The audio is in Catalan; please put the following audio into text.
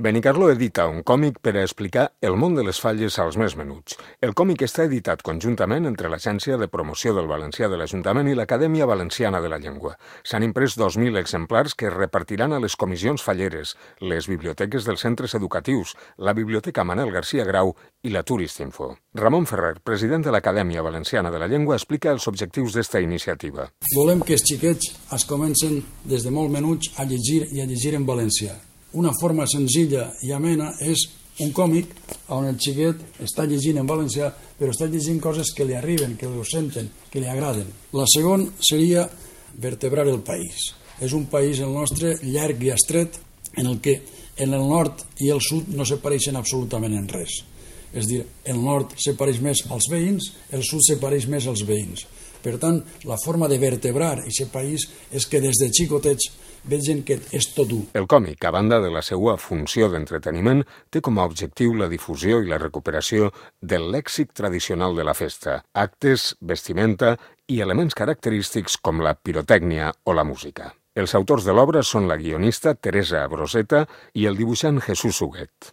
Benicarló edita un còmic per a explicar el món de les falles als més menuts. El còmic està editat conjuntament entre l'Agència de Promoció del Valencià de l'Ajuntament i l'Acadèmia Valenciana de la Llengua. S'han imprès 2.000 exemplars que es repartiran a les comissions falleres, les biblioteques dels centres educatius, la Biblioteca Manel García Grau i la Turistinfo. Ramon Ferrer, president de l'Acadèmia Valenciana de la Llengua, explica els objectius d'esta iniciativa. Volem que els xiquets es comencen des de molt menuts a llegir i a llegir en valencià. Una forma senzilla i amena és un còmic on el xiquet està llegint en valencià, però està llegint coses que li arriben, que ho senten, que li agraden. La segona seria vertebrar el país. És un país, el nostre, llarg i estret, en el que en el nord i el sud no se pareixen absolutament en res. És a dir, el nord se pareix més als veïns, el sud se pareix més als veïns. Per tant, la forma de vertebrar aquest país és que des de xicotets vegin que és tot un. El còmic, a banda de la seva funció d'entreteniment, té com a objectiu la difusió i la recuperació del lèxic tradicional de la festa, actes, vestimenta i elements característics com la pirotècnia o la música. Els autors de l'obra són la guionista Teresa Broseta i el dibuixant Jesús Huguet.